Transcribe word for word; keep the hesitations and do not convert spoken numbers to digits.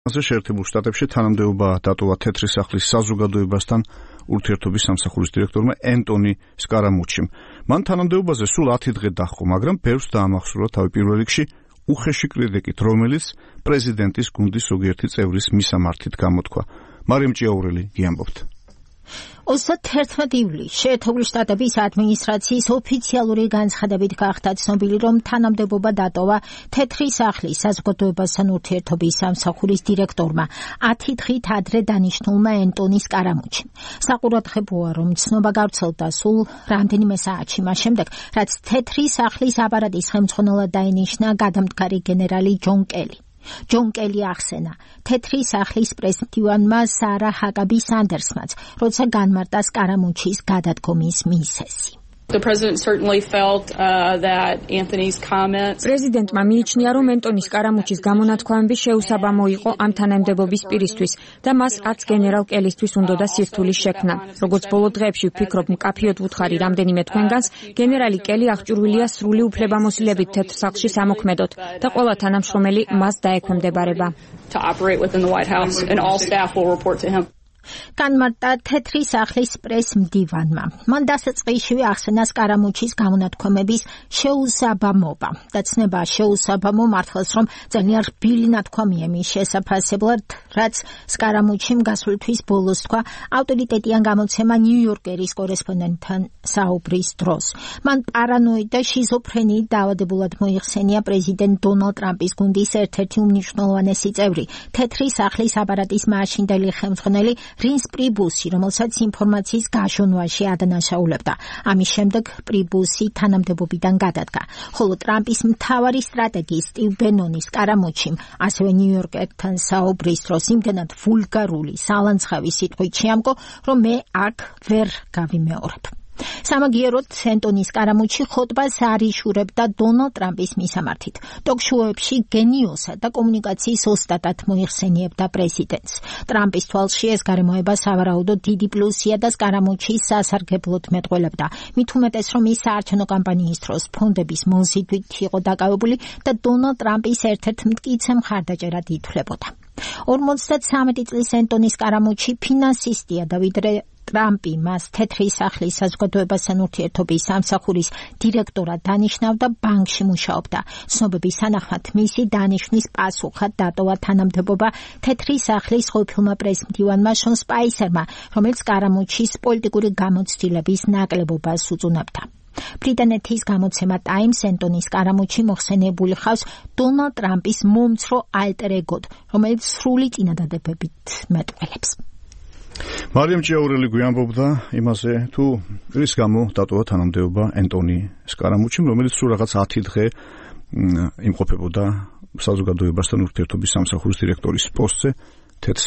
შეერთებულ შტატებში თანამდებობა დატოვა თეთრი სახლის საზოგადოებასთან ურთიერთობის სამსახურის დირექტორმა ენტონი სკარამუჩიმ. მან თანამდებობაზე სულ ათი დღე დაჰყო, მაგრამ ბევრს დაამახსოვრა თავი პირველ რიგში უხეში კრიტიკით, რომელიც პრეზიდენტის გუნდის ზოგიერთი წევრის მისამართით გამოთქვა. მარიამ ჭიაურელი გიამბობთ. ოცდაათი ივლისს შეერთებული შტატების ადმინისტრაციის ოფიციალური განცხადებით გახდა ცნობილი, რომ თანამდებობა დატოვა თეთრი სახლის საზოგადოებასთან ურთიერთობის სამსახურის დირექტორმა ათი დღით ადრე დანიშნულმა ენტონი სკარამუჩიმ. საყურადღებოა, რომ ცნობა გავრცელდა სულ რამდენიმე საათში მას შემდეგ, რაც თეთრი სახლის აპარატის ხელმძღვანელად დაინიშნა გადამდგარი გენერალი ჯონ კელი. ჯონ კელი ახსენა თეთრი სახლის პრეზიდენტმა სარა ჰაკაბი სანდერსმაც, როცა განმარტა სკარამუჩის გადადგომის მიზეზი. პრეზიდენტმა მიიჩნია, რომ ენტონი სკარამუჩის გამონათქვამები შეუსაბამო იყო ამ თანამდებობის პირისთვის და მას არც გენერალ კელისთვის უნდოდა სირთულის შექმნა. როგორც ბოლო დღეებში ვფიქრობ, მკაფიოდ ვუთხარი რამდენიმე თქვენგანს, გენერალი კელი აღჭურვილია სრული უფლებამოსილებით თეთრ სახლში სამოქმედოდ და ყველა თანამშრომელი მას დაექვემდებარება. განმარტა თეთრი სახლის პრეს-მდივანმა. მან დასაწყისშივე ახსენა სკარამუჩის გამონათქვამების შეუსაბამობა და ცნება შეუსაბამო მართლაც, რომ ძალიან რბილი ნათქვამია მის შესაფასებლად, რაც სკარამუჩიმ გასული თვის ბოლოს თქვა ავტორიტეტიან გამოცემა ნიუ-იორკერის კორესპონდენტთან საუბრის დროს. მან პარანოიდ და შიზოფრენიით დაავადებულად მოიხსენია პრეზიდენტ დონალდ ტრამპის გუნდის ერთ-ერთი უმნიშვნელოვანესი წევრი, თეთრი სახლის აპარატის მაშინდელი ხელმძღვანელი რინს პრიბუსი, რომელსაც ინფორმაციის გაშონვაში ადანაშაულებდა. ამის შემდეგ პრიბუსი თანამდებობიდან გადადგა. ხოლო ტრამპის მთავარი სტრატეგი სტივ ბენონი სკარამუჩიმ ასევე ნიუ-იორკერთან საუბრის დროს იმდენად ვულგარული, სალანცხავი სიტყვით შეამკო, რომ მე აქ ვერ გავიმეორებ. სამაგიეროდ ენტონი სკარამუჩი ხოტბას არ იშურებდა დონალდ ტრამპის მისამართით. ტოქ-შოუებში გენიოსად და კომუნიკაციის ოსტატად მოიხსენიებდა პრეზიდენტს. ტრამპის თვალში ეს გარემოება სავარაუდოდ დიდი პლუსია და სკარამუჩის სასარგებლოდ მეტყველებდა. მით უმეტეს, რომ ის საარჩევნო კამპანიის დროს ფონდების მოზიდვით იყო დაკავებული და დონალდ ტრამპის ერთ-ერთ მტკიცე მხარდაჭერად ითვლებოდა. ორმოცდათრამეტი წლის ენტონი სკარამუჩი ფინანსისტია და ვიდრე ტრამპი მას თეთრი სახლის საზოგადოებასთან ურთიერთობის სამსახურის დირექტორად დანიშნავდა, ბანკში მუშაობდა. ცნობების თანახმად მისი დანიშვნის პასუხად დატოვა თანამდებობა თეთრი სახლის ყოფილმა პრეზიდენტმა შონ სპაისერმა, რომელიც სკარამუჩის პოლიტიკური გამოცდილების ნაკლებობას უწუნებდა. ბრიტანეთის გამოცემა ტაიმს ენტონი სკარამუჩი მოხსენიებული ხავს დონალდ ტრამპის მომცრო ალტერ-ეგოდ, რომელიც სრული წინადადებებით მეტყველებს. მარიამ ჭიაურელი გვიამბობდა იმაზე, თუ რის გამო დატოვა თანამდებობა ენტონი სკარამუჩიმ, რომელიც სულ რაღაც ათი დღე იმყოფებოდა საზოგადოებასთან ურთიერთობის სამსახურის დირექტორის პოსტზე თეთრ